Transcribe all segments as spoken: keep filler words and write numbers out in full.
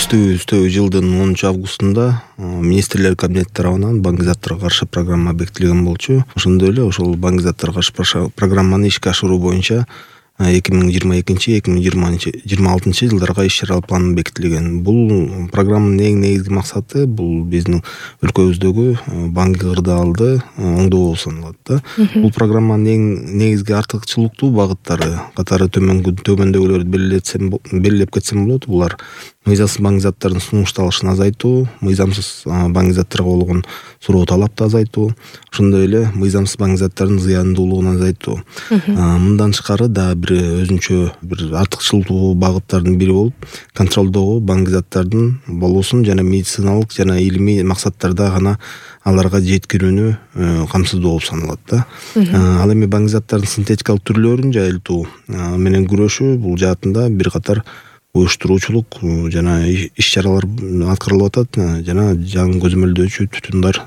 Өстүү жылдын онунчу августунда министрлер кабинети тарабынан баңгизаттарга каршы программа бекитилген болчу. Ошондой эле ошол баңгизаттарга каршы программаны ишке ашыруу боюнча эки миң жыйырма экинчи эки миң жыйырма алтынчы жылдарга иш чаралар планы бекитилген. Бул программанын эң негизги максаты бул биздин өлкөбүздөгү банк кырдаалды оңдоо саналат да. Бул программанын эң негизги артыкчылыктуу багыттары катары төмөндөгүлөрдү белгилетсем белгилеп кетсем болот. Булар мыйзамсыз баңгизаттардын сунушталышын азайтуу, мыйзамсыз баңгизаттарга болгон суроо талапты азайтуу, ошондой эле мыйзамсыз баңгизаттардын зыяндуулугун азайтуу. Мындан тышкары да бир өзүнчө бир артыкчылыктуу багыттардын бири болуп, контролдогу баңгизаттардын болуусун жана медициналык жана илимий максаттарда гана аларга жеткирүүнү камсыздоо болуп саналат да. Ал эми баңгизаттардын синтетикалык түрлөрүн жайылтуу менен күрөшүү бул жаатында бир катар уюштуруучулук жана иш чаралар аткарылып атат жана жаңы көзөмөлдөөчү түтүндар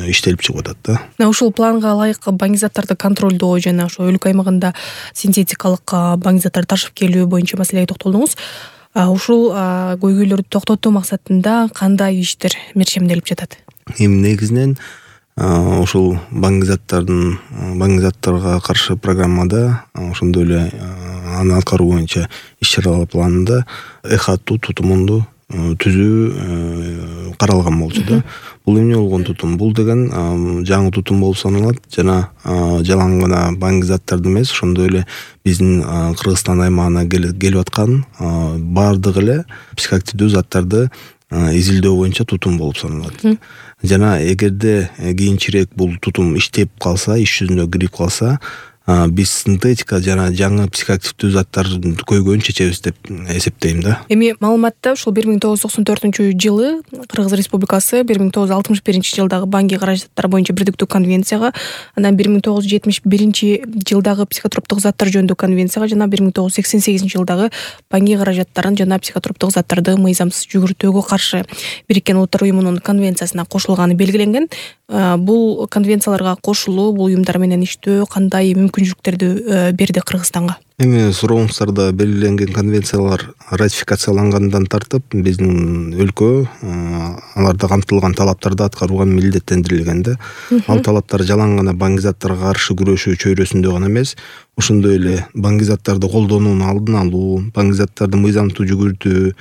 иштелип чыгып атат да. Ушул планга ылайык баңгизаттарды контролдоо жана ошо өлкө аймагында синтетикалык баңгизаттарды ташып келүү боюнча маселеге токтолдуңуз. Ушул көйгөйлөрдү токтотуу максатында кандай иштер мерчемделип жатат? Эми негизинен ошол баңгизаттардын баңгизаттарга каршы программада ошондой эле аны аткаруу боюнча иш чаралар планында эхатуу тутумунду түзүү каралган болчу да. Бул эмне болгон тутум? Бул деген жаңы тутум болуп саналат жана жалаң гана баңгизаттарды эмес, ошондой эле биздин Кыргызстан аймагына келип аткан баардык эле психоактивдүү заттарды изилдөө боюнча тутум болуп саналат. Жана эгерде кийинчерээк бул тутум иштеп калса, иш жүзүнө кирип калса, биз синтетика жана жаңы психоактивдүү заттардын көйгөйүн чечебиз деп эсептейм да. Эми маалыматта ушул бир миң тогуз жүз токсон төртүнчү жылы Кыргыз Республикасы бир миң тогуз жүз алтымыш биринчи жылдагы банки каражаттары боюнча бирдиктүү конвенцияга, анан бир миң тогуз жүз жетимиш биринчи жылдагы психотроптук заттар жөнүндө конвенцияга жана бир миң тогуз жүз сексен сегизинчи жылдагы банки каражаттарын жана психотроптук заттарды мыйзамсыз жүгүртүүгө каршы Бириккен Улуттар уюмунун конвенциясына кошулганы белгиленген. Бул конвенцияларга кошулуу, бул уюмдар менен иштөө кандай мүмкүнчүлүктөрдү берди Кыргызстанга? Эми сурооңуздарда белгиленген конвенциялар ратификациялангандан тартып биздин өлкө аларда камтылган талаптарды аткарууга милдеттендирилген да. Ал талаптар жалаң гана баңгизаттарга каршы күрөшүү чөйрөсүндө гана эмес, ошондой эле баңгизаттарды колдонуунун алдын алуу, баңгизаттарды мыйзамдуу жүгүртүү,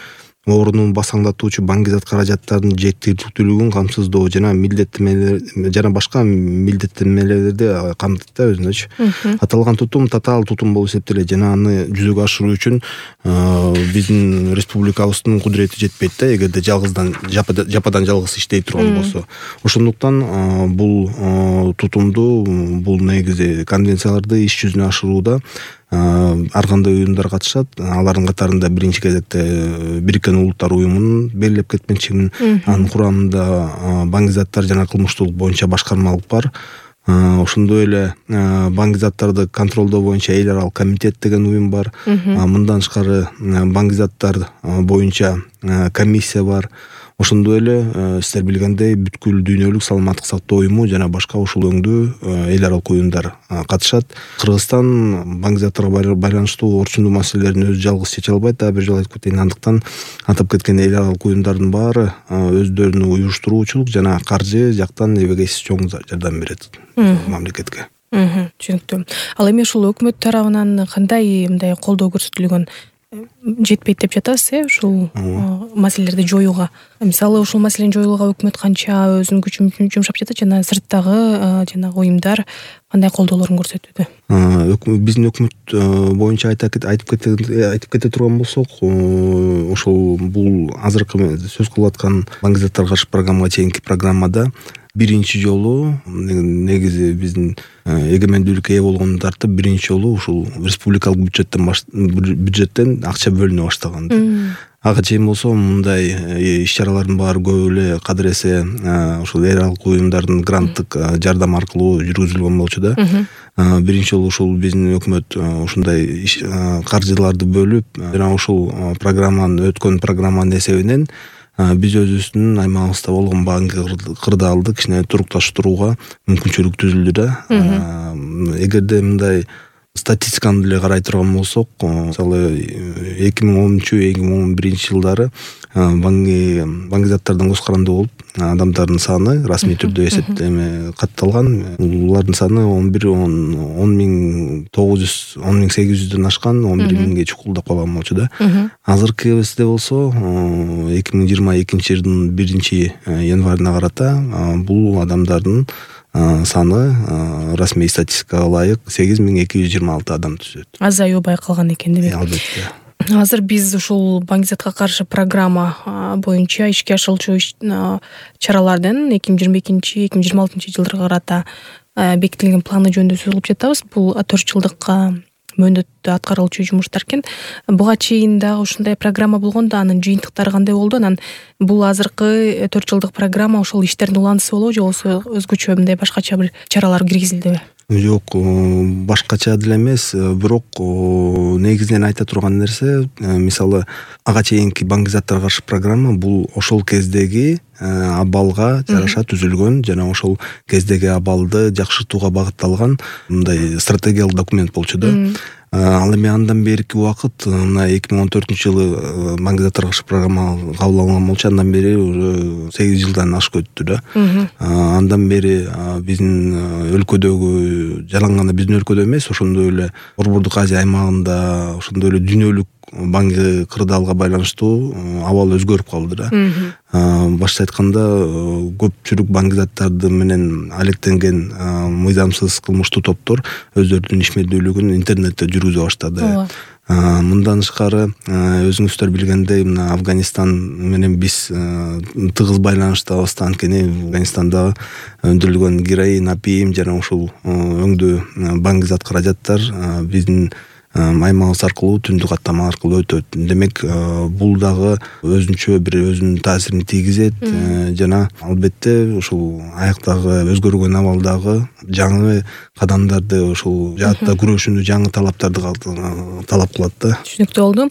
орунун басаңдатуучу баңгизат каражаттарынын жеткиликтүүлүгүн камсыздоо жана милдеттенмелер жана башка милдеттенмелерди камтыйт да өзүнөчү. Аталган тутум татаал тутум болуп эсептелет жана аны жүзөгө ашыруу үчүн биздин республикабыздын кудурети жетпейт да, эгерде жалгыздан жападан жалгыз иштей турган болсо. Ошондуктан бул тутумду, бул негизи конвенцияларды иш жүзүнө ашырууда ар кандай уюмдар катышат. Алардын катарында биринчи кезекте Бириккен Улуттар уюмунун белгилеп кетмекчимин. Анын курамында баңгизаттар жана кылмыштуулук боюнча башкармалык бар. Ошондой эле баңгизаттарды контролдоо боюнча эл аралык комитет деген уюм бар. Мындан тышкары баңгизаттар боюнча комиссия бар. Ошондой эле сиздер билгендей бүткүл дүйнөлүк саламаттык сактоо уюму жана башка ушул өңдүү эл аралык уюмдар катышат. Кыргызстан баңгизаттарга байланыштуу орчундуу маселелерин өзү жалгыз чече албайт, да бир жолу айтып кетейин. Андыктан атап кеткен эл аралык уюмдардын баары өздөрүнүн уюштуруучулук жана каржы жактан эбегейсиз чоң жардам берет мамлекетке. Түшүнүктүү. Ал эми ушул өкмөт тарабынан кандай мындай колдоо көрсөтүлгөн? Жетпейт деп жатасыз, э, ушул маселелерди жоюуга. Мисалы, ушул маселени жоюуга өкмөт канча өзүнүн күчүн жумшап жатат жана сырттагы жана уюмдар кандай колдоолорун көрсөтүүдө? Биздин өкмөт боюнча айтып айтып кете турган болсок, ошол бул азыркы сөз кылып аткан баңгизаттарга каршы программага чейинки программада биринчи жолу негизи биздин эгемендүүлүккө ээ болгондон тартып биринчи жолу ушул республикалык бюджеттен бюджеттен акча бөлүнө баштаган. Ага чейин болсо мындай иш чаралардын баары көп эле кадыр эсе ушул эл аралык уюмдардын гранттык жардам аркылуу жүргүзүлгөн болчу да. Биринчи жолу ушул биздин өкмөт ушундай каржыларды бөлүп жана ушул программанын өткөн программанын эсебинен биз өзүбүздүн аймагыбызда болгон банк кырдаалды кичине турукташтырууга мүмкүнчүлүк түзүлдү да. Эгерде мындай статистиканы деле карай турган болсок, мисалы эки миң онунчу эки миң он биринчи жылдары банги банги заттардан көз каранды болуп адамдардын саны расмий түрдө эсептеме катталган. Булардын саны он бир он миң тогуз жүз он миң сегиз жүздөн ашкан, он бир миңге чукулдап калган болчу да. Азыркы кезде болсо эки миң жыйырма экинчи жылдын биринчи январына карата бул адамдардын саны расмий статистикага ылайык сегиз миң эки жүз жыйырма алты адам түзөт. Азаюу байкалган экен демек. Албетте. Азыр биз ушул баңгизатка каршы программа боюнча ишке ашырылчу чаралардын эки миң жыйырма экинчи эки миң жыйырма алтынчы жылдарга карата бекитилген планы жөнүндө сөз кылып жатабыз. Бул төрт жылдыкка мөөнөттө аткарылчу жумуштар экен. Буга чейин дагы ушундай программа болгондо анын жыйынтыктары кандай болду? Анан бул азыркы төрт жылдык программа ошол иштердин уландысы болобу же болбосо өзгөчө мындай башкача бир чаралар киргизилдиби? Жок, башкача деле эмес, бирок негизинен айта турган нерсе, мисалы ага чейинки баңгизаттарга каршы программа бул ошол кездеги абалга жараша түзүлгөн жана ошол кездеги абалды жакшыртууга багытталган мындай стратегиялык документ болчу да. Ал эми андан берки убакыт, мына эки миң он төртүнчү жылы баңгизаттарга каршы программа кабыл алынган болчу, андан бери уже сегиз жылдан ашык өттү да. Андан бери биздин өлкөдөгү, жалаң гана биздин өлкөдө эмес, ошондой эле Борбордук Азия аймагында, ошондой эле дүйнөлүк банги кырдаалга байланыштуу абал өзгөрүп калды да. Башта айтканда көпчүлүк баңгизаттарды менен алектенген мыйзамсыз кылмыштуу топтор өздөрүнүн ишмердүүлүгүн интернетте жүргүзө баштады. Мындан тышкары өзүңүздөр билгендей, мына Афганистан менен биз тыгыз байланыштабыз, анткени Афганистанда өндүрүлгөн героин, апиим жана ушул өңдүү баңгизат каражаттар биздин аймагыбыз аркылуу түндүк каттама аркылуу өтөт. Демек, бул дагы өзүнчө бир өзүнүн таасирин тийгизет жана албетте ушул аяктагы өзгөргөн абалдагы жаңы кадамдарды, ушул жаатта күрөшүүнү жаңы талаптарды талап кылат да. Түшүнүктүү болду.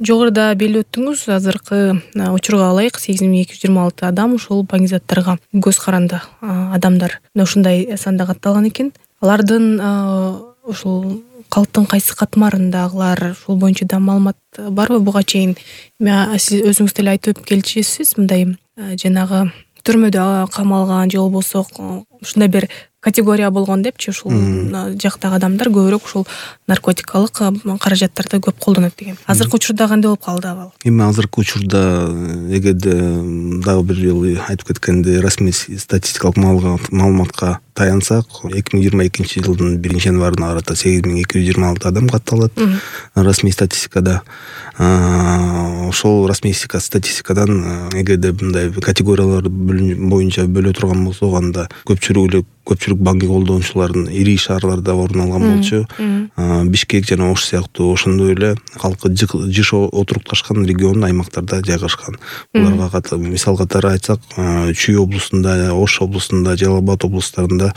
Жогоруда белгилеп өттүңүз, азыркы учурга ылайык сегиз миң эки жүз жыйырма алты адам ушул баңгизаттарга көз каранды адамдар ушундай санда катталган экен. Алардын ушул калктын кайсы катмарындагылар ушул боюнча да маалымат барбы? Буга чейин сиз өзүңүз деле айтып келчүсүз, мындай жанагы түрмөдө камалган же болбосо ушундай бир категория болгон депчи, ушул жактагы адамдар көбүрөөк ушул наркотикалык каражаттарды көп колдонот деген. Азыркы учурда кандай болуп калды абал? Эми азыркы учурда эгерде дагы бир жолу айтып кеткендей расмий статистикалык маалыматка таянсак, эки миң жыйырма экинчи жылдын биринчи январына карата сегиз миң эки жүз жыйырма алты адам катталат расмий статистикада. Ошол расмий статистикадан эгерде мындай категориялар боюнча бөлө турган болсок, анда көпчүлүк эле көпчүлүк банги колдонуучулардын ири шаарларда орун алган болчу. Бишкек жана Ош сыяктуу ошондой эле калкы жыш отурукташкан регион аймактарда жайгашкан. Буларга мисал катары айтсак, Чүй облусунда, Ош облусунда, Жалал Абад облустарында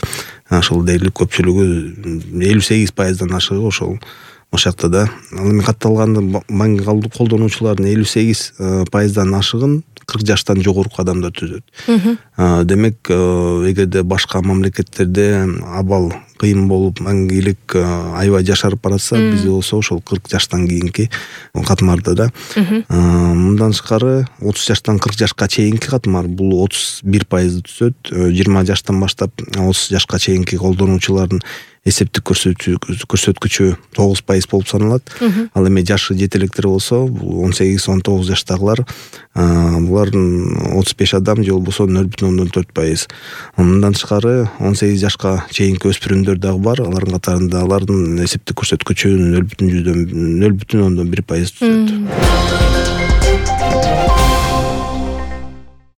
ошол дээрлик көпчүлүгү элүү сегиз пайыздан ашыгы ошол ошакта да. Ал эми катталган банги колдонуучулардын элүү сегиз пайыздан ашыгын кырк жаштан жогорку адамдар түзөт. Демек, эгерде башка мамлекеттерде абал кыйын болуп, маңгилик аябай жашарып баратса, бизде болсо ошол кырк жаштан кийинки катмарда да. Мындан тышкары отуз жаштан кырк жашка чейинки катмар бул отуз бир пайызды түзөт. жыйырма жаштан баштап отуз жашка чейинки колдонуучулардын эсептик көрсөткүчү тогуз пайыз болуп саналат. Ал эми жашы жете электер болсо, он сегиз он тогуз жаштагылар, булардын отуз беш адам же болбосо нөл бүтүн ондон төрт пайыз. Мындан тышкары он сегиз жашка чейинки өспүрүмдөр дагы бар. Алардын катарында алардын эсептик көрсөткүчү нөл бүтүн ондон бир пайыз түзөт.